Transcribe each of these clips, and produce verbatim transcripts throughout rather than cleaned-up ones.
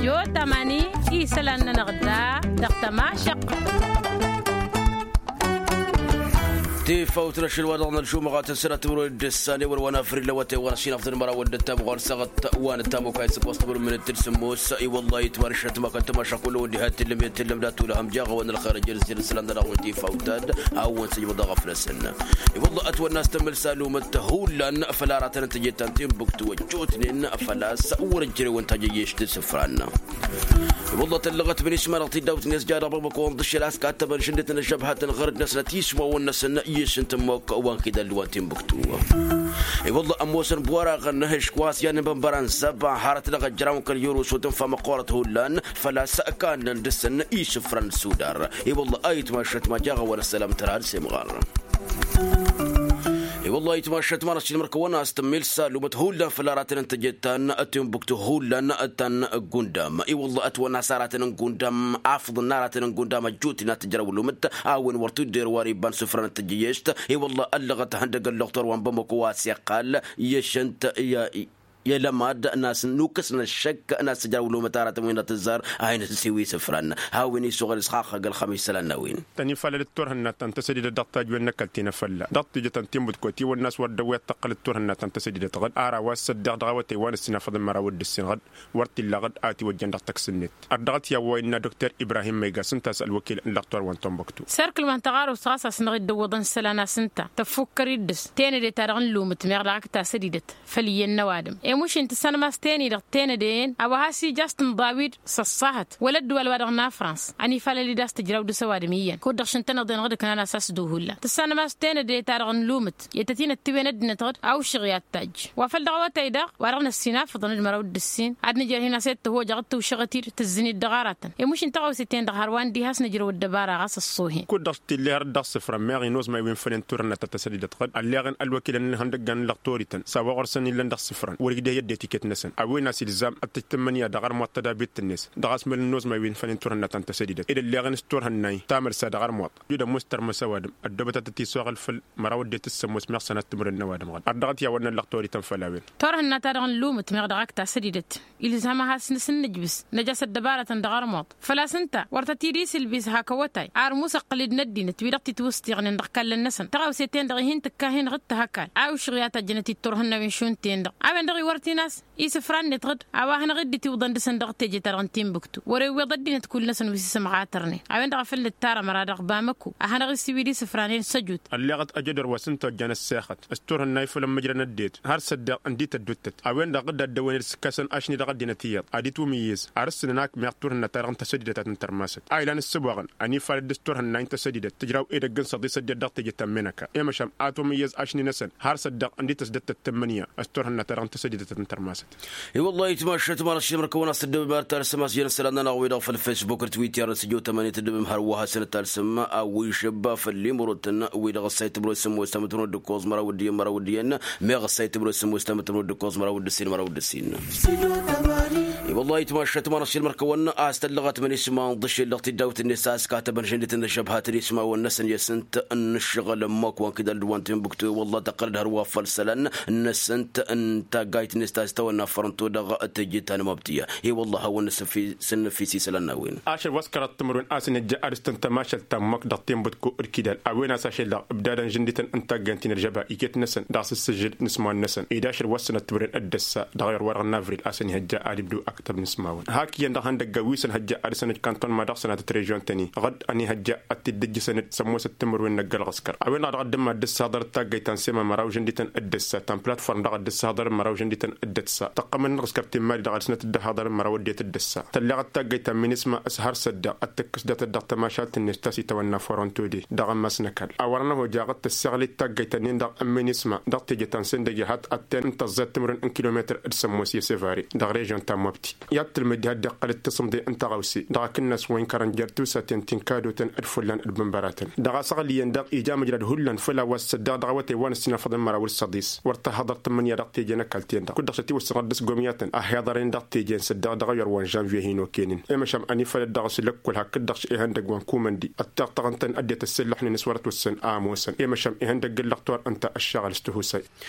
Jot amani isălan-nănăɣ da dăɣ-tămašăq. Tifawt n-ašăl wa dăɣ-nălšumăɣat n-sănat timǝrwen d-ǝssan i-wăr wa n-afril lăwătay wa n-asinafḍăn măraw d-ăttam ɣur-săɣăt wa n-ăttam okayăt s-ăkkoẓ timǝrwen d-tǝl sǝmmos. I-wăllah itmar šăt ma kăl-tămašăq kull-wen diha t-tǝllăm i-tǝllăm d-atulăhăm jaɣ-awăn ălxer ăjjăr s-jăr isălan dăɣ-awăn tifawt ad-awăn sǝjmăḍ aɣăf-năsăn. I-wăllah ătwănna s-tămmăl salumăt hullan făll-aratăn n-tejăt ta n-timbuktu ăjjootnen făl-a-s wăr-ăjjărew n-tajăjježt s-ǝfran. I-wăllah tăllăɣăt bănisma dăɣ-tiddawt-net ja dăɣ-băbăkăwăn ḍǝššel a-s kattăbăn šǝndǝt n-ăžžăbhat n-ɣărăt-năsnăt ismawăn-năsăn i-išǝnt ǝmmok wa n-kidal wa n-timbuktu. I-wăllah ămoosăn bwăraɣăn n-ehǝšk wa s-iyyăn n-bănbăra n-zăba hărăt dăɣ-ăjraw n-kăl-yurus wa tǝnfa măqqoorăt hullan făl-a-s kannăn dăɣ-săn isǝfran n-sudar. I-wăllah a itmašăt ma jaɣ-awăn ăssălam tărha d-semɣar. I-wăllah itmašăt ma n-ašilmăr kăwăn-as tămmil salumăt hullan făll-aratăn n-tejăt ta n-timbuktu hullan ta n-gundam. I-wăllah ătwănna s-aratăn n-gundam afḍăn n-aratăn n-gundam ăjjootnen ad-t-ǝjrăw lumǝt a-wen wăr t-udder wa n-ibba n-sufra n-tejăježt. I-wăllah ăllăɣăt ihăndăg ălluɣtor wa n-bamăko wa s-iqqal i-ašăn-t i-ălămad n-a-s nukǝsnăt šăkk n-a-s tǝjrăw lumǝt aratăn wi n-ad-tǝzzar a hin-ăssiwi isǝfran. Hawăn-isuɣǝl s-xaxăg ălxămis isălan n-a-wen. Tănifalăl d-turhǝnna ta n-tăsădidăt dăɣ-tajwen n-ăkall ti n-afălla dăɣ-tijăt ta n-timbǝtkot i-wănnas wăr dd-ăwwăyăt tăqqăl d-turhǝnna ta n-tăsădidăt ɣǝd ara wa s-săddeɣ dăɣ-awătay wa n-ăssinafăḍăn măraw d-ǝssin ɣǝd wăr t-illa ɣǝd a tiwăjjăn dăɣ-tăks-net. Ad-dăɣ-t i-a-wa innă dukter ibrahim măygas ǝnta a-s ălwăkil n-lăxtor wa n-tunbăktu. Sărkǝl wa n-taɣarust ɣas a-s năɣ-dd-ǝwwăḍăn isălan a-s ǝnta tăffukkăr-dd s-tenăde-ta-dăɣ n-lumǝt meɣ daɣ ǝkta sădidăt făll-iyyăn n-ăwadǝm. Emuš-in tǝssanăm a-s teni-dăɣ tenăde-en a-wa has-ija a-s tǝnḍa wi-dd s-ăṣṣahăt wăla ăddǝwal-wa-dăɣ n-afrans. Ănifalăl-dd a-s tǝjraw dăɣ-s ăwadǝm iyyăn kud-dăɣ šăn-tăn-ăḍen ɣǝd ǝknan a-s a-s duhullan tǝssanăm a-s tenăde-ta-dăɣ n-lumǝt i-tăt-in-ăttiwen ăddinăt ɣǝd a ušăɣ i-ad-tajj. Wa făl dăɣ-awătay daɣ wa dăɣ-năssinafăḍăn d-măraw d-ǝssin ad-nǝjrăd hin-asăy d-tăhojăɣ d-tǝwšăɣăt-dd tǝzzǝn-dd dăɣ-aratăn. Emuš-in taɣăwse-ten-dăɣ hărwa n-diha a-s nǝjrăw ăddăbara ɣas ăṣṣohen. Kud-dăɣ s-t-illa har dd-dăɣ-sǝfrăn meɣ inos ma iwin fănen turhǝnna ta n-tăsădidăt ɣǝd ălleɣăn ălwăkilăn n-ihăndăggan n-lăxtorităn s-a-wa ɣur-săn illăn dăɣ-sǝfrăn wăr-igdeh i-ăddinăt iket-năsăn a-wen a-s ilzam ad-tăj tǝmmǝnǝya dăɣ-armuḍt tădabit-net dăɣ-asmăl n-inos ma iwin fănen turhǝnna ta n-tăsădidăt ed ălleɣăn s-turhǝnna-i tamălsa dăɣ-armuḍt. Dd-ămoos tărmăs ăwadǝm ăddoobăt ad-tăt-iswăɣăl făll-măraw ăddinăt s-sămmos meɣ sănat timǝrwen n-ăwadǝm ɣǝd ărdăɣăt i-a-wa n-ăllăɣ torităn făll-a-wen. Turhǝnna-ta-dăɣ n-lumǝt meɣ dăɣ-ak tasădidăt ilzam ad-has-nǝsǝn nǝjbǝs năj'-as ăddăbarătăn dăɣ-armuḍ făl-a-s ǝnta wăr tăt-dd-isilbis hak awătay. Ar musăqqǝl-dd n-ăddinăt wi-dăɣ titwǝsṭiɣnen dăɣ-ikallăn-năsăn tăɣawse-ten-dăɣ ih'-in tǝkka hin-ɣǝd tăhăkal a ušɣǝy a tajjănăt-dd turhǝnna wi n-šund-ten-dăɣ a-wen-dăɣ iwărtin a-s isǝfra-net ɣǝd a-wa hanăɣ-dd-itiwǝḍăn dăɣ-săn dăɣ-teje-ta-dăɣ n-tinbǝktu wăr-ewweḍ ăddinăt kull-năsăn wi s-isǝmɣatărnen. A-wen-dăɣ a făl nǝttar ămăra dăɣ-bamăko a hanăɣ-isiwǝy d-isǝfranen s-ăjut. Ălleɣăt ajădor wa s-ǝnta ojjan ăssexăt s-turhǝnna ifăl ămmǝjrăn ăddinăt har s-ăddeɣ ǝndi tădduttăt a-wen-dăɣ dd-addăwăn d-sǝkkăsăn ašni dăɣ-ăddinăt iyyăḍ ad-itwǝm iyyăz. Ar ǝssǝnăn ak meɣ turhǝnna-ta-dăɣ n-tăsădidăt a tǝntărmasăt a ilan ǝssǝboɣăn ănifalăt dăɣ-s turhǝnna-i n-tăsădidăt tǝjraw edăgg n-săḍis ăddinăt dăɣ-teje ta n-menăka. I-măšan atwǝm iyyăz ašni-năsăn har s-ăddeɣ ǝndi tăsdăt tăttămmănǝya s-turhǝnna-ta-dăɣ n-tăsădidăt a tǝntărmasăt. I-wăllah itmašăt ma n-ašilmăr kăwăn-as tǝddǝbăm ar talsăm a-s jăn isălan-nănăɣ-wi-dăɣ făll-fesbuk d-twitter n-sǝjot ămăni tǝddǝbăm hărwa hasăn-dd talsăm a-wa išăbba făll-imrotăn wi-dăɣ ăssay tǝmrot sǝmmos tamǝtmrot d-ǝkkoẓ măraw d-iyyăn măraw d-iyyăn. Meɣ ăssay tǝmrot sǝmmos tamǝtmrot d-ǝkkoẓ măraw d-ǝssin măraw d-ǝssin. I-wăllah itmašăt ma n-ašilmăr kăwăn-as tăllăɣăt mănisma n-iḍǝšel dăɣ-tiddawt-net a-s katăbăn žăndităn d-ăžžăbhat d-ismawăn-năsăn i-asǝnt n-ǝššăɣǝl ămmok wa n-kidal d-wa n-tinbǝktu i-wăllah tăqqăl-dd hărwa făll-isălan n-asǝnt n-taggayt-net ta s-tawănna fărănto dăɣ-teje ta n-mabtǝya. I-wăllah a-wăn nǝsǝnǝfis isălan n-a-wen. Ašăl wa s-kăraḍ timǝrwen a-s ănhăjja ad-ǝstăn tămašalt ta n-măk dăɣ-tinbǝtko d-kidal a-wen a-s ašăl-dăɣ ǝbdadăn žǝndităn n-taggayt-in ălžăba iket-năsăn dăɣ-s ǝssǝžǝd n-ismawăn-năsăn ed ašăl wa s-sănăt timǝrwen d-ăssa dăɣ-iwăr wa-dăɣ n-avril a-s ănhăjja ad-ibdu ăktăb n-ismawăn hak iyyăn dăɣ-ihăndăggan wi s-ănhăjja ad-dăr-săn d-kanton ma dăɣ-sănatăt režion-tăn-i ɣǝd ănihăjja ad-t-dd-ǝjjǝsăn d-sămoosăt timǝrwen n-ăgg-ălɣăskăr. A-wen-dăɣ dăɣ-dd-ǝmma dd-ǝssaḍăr d-taggayt ta n-sema măraw žǝndităn d-ǝssa ta n-platform dăɣ-dd-ǝssaḍăr măraw žǝndităn d-ǝssa tăqqăm n-ălɣăskăr timmali dăɣ-ad-sănăt dd-ăhaḍăr măraw ăddinăt d-ǝssa tălleɣăt taggayt ta n-minisma s-har s-ădda ad-tǝkkǝs datăt dăɣ-tămašalt-net ta s-itawănna foronto de dăɣ-ămmas n-ăkall. A wăr-năhoja ɣǝd tăsseɣlit taggayt-nin-dăɣ n-minisma dăɣ-teje ta n-săndăge hat-ătten n-tăẓẓet timǝrwen n-kilometăr d-sămmos i-sevari dăɣ-režion ta n-mobti. I-ad-tǝlmǝd diha dd-iqqăl d-tasǝmḍe n-taɣăwse dăɣ-akǝnnas wa inkărăn jer-tusaten ti n-kadotăn d-fullan d-bǝnbăratăn dăɣ-asăɣli-en-dăɣ ija măjrad hullan făll-a-wa s-săddeɣ dăɣ-awătay wa n-ăssinafăḍăn măraw d-săḍis. Wăr tăhhăḍăr tǝmmǝnǝya dăɣ-teje n-ăkall-ten-dăɣ kud-dăɣ s-ătiwăssănăɣ dd-s gomyatăn a hi-iḍărăyăn dăɣ-teje n-săddeɣ dăɣ-ewăr wa n-žănvye hin-okăynen. I-măšan ănifalăt dăɣ-s lăkkol hakd-dăɣ s-ihăndăgg wa n-kumăndi ăttiɣtăɣăn-tăn ăddinăt ăssillăxnen s-wăr-ătwăssăn a ămoosăn i-măšan ihăndăgg n-lăxtor ǝnta ăššăɣǝl s-tihusay.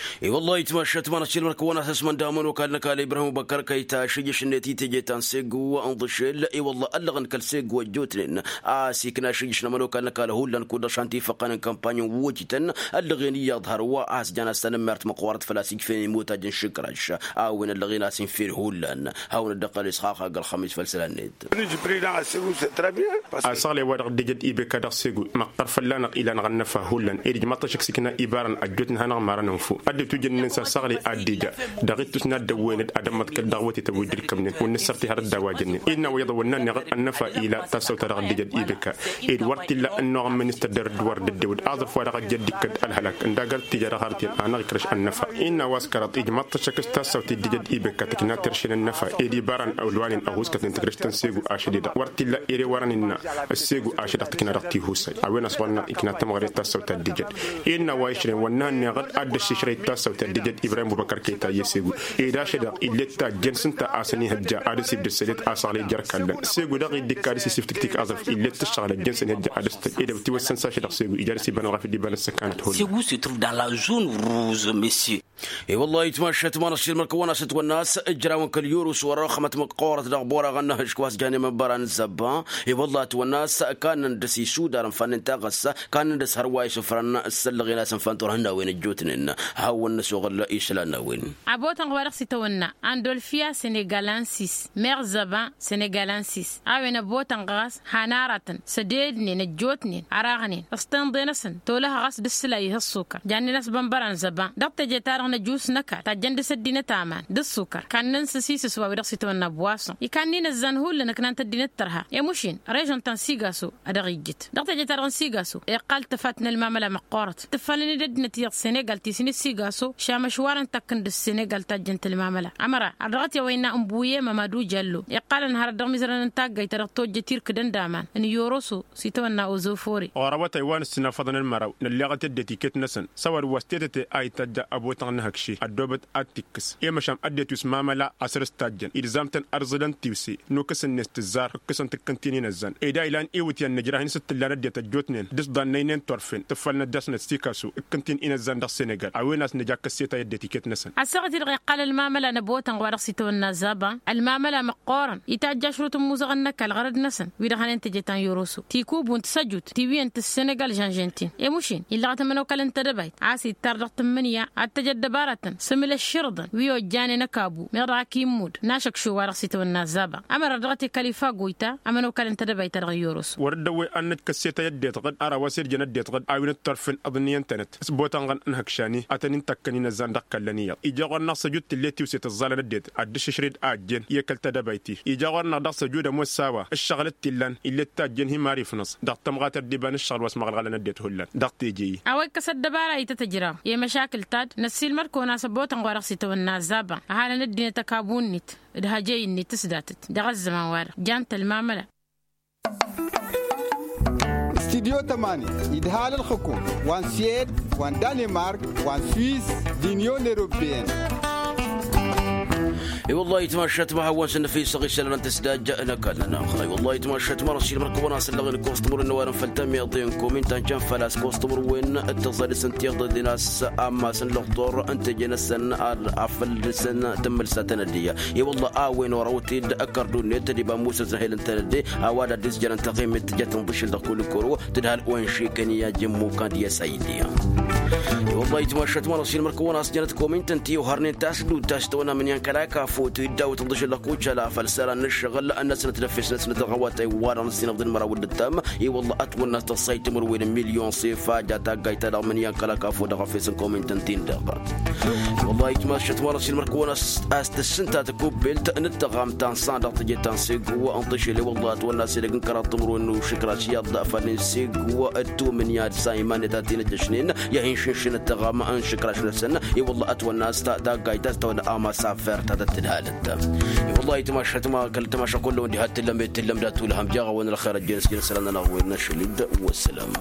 I-wăllah itmašăt ma n-ašilmăr kăwăn-asăsmăn d-amănokal n-ăkall ibrahim băkkăr kăyta šǝjjăš. titeje ta n-segu n-iḍǝšel i-wălla ăllăɣăn kăl-segu ăjjootnen a-s ikna ašǝjjǝš n-ămănokal n-ăkall hullan kud-dăɣ šan tifăqqăn n-kampany n-wojităn ăllăɣen iyyăḍ hărwa a-s jan a-s tanămmert măqqoorăt făl-a-s ijfen imut ajăn šǝkraš a-wen ăllăɣen a-s infer hullan. Hawăn-dd-ăqqăl isxaqa găl-xămis făll-isălan-net. Asăɣlăy wa dăɣ-dd-ija d-ibeka dăɣ-segu măqqăr fălla-năɣ ilan ɣăn năfa hullan ed ijmaḍ-t ašăk s-ikna ibarăn ăjjootnen hanăɣ-marăn ănfu ad-dd-tujǝnnen s-asăɣlăy ad-dd-ija dăɣ-ittus n-ad-dd-ăwwăyăn-dd ad-ămmăḍkăl dăɣ-wătetăn wi dd-irkămnen wăr nǝssărti har dd-a-wa jănnen ed n-a-wa iyyăḍ ăwwănna-neɣ ănnăfa ila tassawt-ta-dăɣ dd-ija d-ibeka ed wăr t-illa ănnuɣ n-ministăr d-erădd wăr dd-ăddewăd aẓrǝf-wa-dăɣ ăjja d-ikkăd ălhălak ǝnda găr t-ija dăɣ-arăt-en anăɣ-ikrăš ănnăfa. Innă a-wa s-kăraḍ ijmaḍ-t ašăk s-tassawt-i dd-ija d-ibeka tǝkna terše n-ănnăfa ed ibarăn ălwanen ăhuskătnen tikrǝšt ta n-segu ašăl-i-dăɣ wăr t-illa ere wărăn innă ăssegu ašăl-i-dăɣ tǝkna dăɣ-tihusay a-wen a-s ɣur-năɣ ikna tămɣăre d-tassawt ta dd-ijăd. Innă a-wa išrăyăn wăr nǝhănneɣ-dd ad-dd-ăššišrăy d-tassawt ta dd-ijăd ibrahim bubăkăr kăyta i-ăssegu ed ašăl-i-dăɣ ill'-e d-tajjăn s-ǝnta a săn ihăjja ad-dăr-s ibdăd sălet asăɣlăy jer-kallăn segu dăɣ-i dd-ikka ad-dăr-s isǝftǝktik aẓrǝf ill'-e d-tǝššăɣǝl ăjjăn s-ănihăjja ad-dăr-s tăj ed ăwtiwăssăn s-ašăl-i-dăɣ segu ija ad-dăr-s iba n-ălɣafyăt d-iba n-ăssăkanăt hullan. Segu se trouve dans la zone rouge monsieur. I-wăllah itmašat ma n-aššil măr-kăwăn-as ătwănna a-s ǝjrawăn kăl-yurǝs wăr-ăxmăt măqqoorăt dăɣ-boraɣăn n-ahǝšk wa s-janen măbbăra n-zăbba. I-wăllah ătwănna a-s kannăn dăr-s isudar ǝnfannen taɣăssa kannăn dăr-s hărwa isǝfrăn s-ăllăɣen a-s ǝnfan turhǝnnawen ăjjootnen. Hawăn-năsoɣăl isălan n-a-wen. Abotănɣ wa dăɣ-s itawănna andolfia senegal ansis meɣ zăba senegal ansis a-wen ăbotănɣ ɣas han aratăn s-ădednen ăjjootnen ăraɣnen s-tenḍe-năsăn tolăh ɣas d-ǝssǝlay ih' ăṣṣukăr jannen a-s bănbăran zăba dăɣ-teje-ta-dăɣ n-ăjus n-ăkall tajjăn dăr-s ăddinăt aman d-ǝṣṣukăr kannăn s-asisǝs wa wi-dăɣ s-itawănna ăbwaṣăn ikannǝy inăzzan hullan ǝknan-t ăddinăt tărha i-mušin režăn ta n-sigaso. Ad-dăɣ-ijjǝt dăɣ-teje-ta-dăɣ n-sigaso iqqal tăfat n-ălmamăla măqqoorăt tǝffălăn-dd ăddinăt iyyăḍ senegal ti s-inǝssigaso šamăšwarăn takk n-dăɣ-senegal tajjăn-t ălmamăla ămăra ar dăɣ-t i-a-wa innă ǝnbuye mămadu jallo iqqalăn hărăt dăɣ-imizărăn n-taggayt ta dăɣ-tojjăt irkǝdăn d-aman n-yoroso s-itawănna ozofore. Ɣur-awătay wa n-ǝssinafăḍăn n-măraw nălleɣăt i-ăddinăt iket-năsăn s-a-wa d-wa s-tetăte a itajja ăbotăɣ n-ehăkše ăddoobăt ad-t-ikkǝs i-măšan ăddinăt wi s-mamăla a săr-s tajjăn ilzam-tăn ărzălăn tiwse nukǝs-net tǝzzar ǝkkǝsăn-t ǝkkǝn-t-in-inăzzan ed a ilan iwǝtyan n-ijrahin s-dd-tǝllan ăddinăt ăjjootnen d-s ḍannăynen turfen tǝffălnăt dăɣ-snăt sikasu ǝkkǝn-t-in-inăzzan dăɣ-senegal a-wen a-s nǝja kăsseta i-ăddinăt iket-năsăn. Ăssaɣăt-i-dăɣ iqqal ălmamăla n-ăbotănɣ wa dăɣ-s itawănna zaba ălmamăla măqqoorăn itajj ašrut n-imuzăɣăn n-ăkall ɣărăd-năsăn wi-dăɣ hănen teje ta n-yoroso tikubu n-tisăjut tiwǝyyăn tǝssenegal žănžen-t-in i-mušin illăɣăt ămănokal n-tedăbayt a-s ittar dăɣ-tǝmmǝnǝya ad-tăj ăddăbaratăn s-emǝl ăšširǝḍăn wi ojjanen ăkabu meɣ dăɣ-ak immud n-ašăkšu wa dăɣ-s itawănna zaba ămăra dăɣ-t i-kalifa goyta ămănokal n-tedăbayt-ta-dăɣ n-yoroso. Wăr-dd-ăwwăy ad-năj kăsset a i-ăddinăt ɣǝd ara wa s-irjăn ăddinăt ɣǝd a-wen dd-turfen ǝḍniyăn-tănăt s-botănɣăn n-hăkšani ad-tăn-in-tăkkăn inăzzan dăɣ-kallăn iyyăḍ ija ɣur-năɣ săjut tǝllet tiwset ăẓẓalăn ăddinăt ad-dd-išǝšred a ăjjeen i-kăl-tedăbayt-i ija ɣur-năɣ dăɣ-săjud ămoos s-a-wa ǝššăɣǝl d-t-illan ill'-e d tajjeen hi-mari fănăẓ dăɣ-tămɣatăr d-iba n-ǝššăɣǝl wa s-măɣălɣalăn ăddinăt hullan dăɣ-teje-i. A-wa ikkăs ăddăbara ităt ǝjraw i-măšakǝl-ta-dd năssiilmăd-kăwăn a-s ăbotănɣ wa dăɣ-s itawănna zaba ăhalăn ăddinăt ăkabu-net d-hajăy-net s-datăt dăɣ-ăzzăman-wa-dăɣ jan-t ălmamăla. Studyo tămani idhal ălxǝkum wa n-suwed wa n-danemark wa n-swiss d-inyon europeyăn. I-wăllah itmašat ma hawăn-săn năfisăɣ isălan n-tăsdajja n-ăkall-nănăɣ. I-wăllah itmašat ma n-ašil mărkăwăn a-s ăllăɣen kostămur n-ăwadăn făll-tamyaḍe n-komin ta n-canfăl a-s kostămur wen tăẓălăs n-tiḍăḍen a-s ammas n-lăḍḍor n-teje-năsăn afăl dăr-săn tǝmmǝlsa tănădde. I-wălla a-wen orăwăt-dd ăkkărdu-net d-iba n-musăz n-hel n-tănădde a-wa d-ad-dd-isjărăn taɣimit tǝjăt n-iḍǝšǝl dăɣ-kulukoro tǝdhal onšikăn i-ajǝmmu kand i-asaydi. I-wălla itmašat ma n-ašil mărkăwăn a-s jănăt komin tăn-tiwhărnen tasdut ta s-tăwănna mǝnyan kăla kafut iddawăt n-iḍǝšǝl dăɣ-kucala făll-isălan n-ǝššăɣǝl ănnăsnăt d-efes-năsnăt dăɣ-awătay wa dăɣ-năssinăɣ d-ălmăraw d-ǝttam. I-wălla ătwănna s-tăṣṣayt timǝrwen n-milyon s-ifa ja taggayt-ta-dăɣ mǝnyan kăla kafut dăɣ-efes n-komin tăn-tin-dăɣ. Wăllah itmašat ma n-ašil mărkăwăn a-s tǝssǝnta tăkubbelt n-ǝttăɣam ta n-san dăɣ-teje ta n-segu n-tăšile wăllah ătwănna s-edăgg n-kăraḍ timǝrwen n-ušǝkraš iyyăḍ făll-in-segu d-tumǝnya d-sa iman-net ad-t-in-ăjjăšnen i-ad-hin-šǝnšǝn ǝttăɣam n-išǝkraš-năsăn. I-wăllah ătwănna a-s taggayt ta s-tăwănna amas afert ta tăt-tǝdhalăt. I-wăllah itmašat ma kăl-tamaša kullăwăn diha t-tǝllăm i-tǝllăm dat-tulhăm jaɣ-awăn ălxer ăjjeen s-jăn isălan-nănăɣ wen n-ašăl-dd. Wăssălam.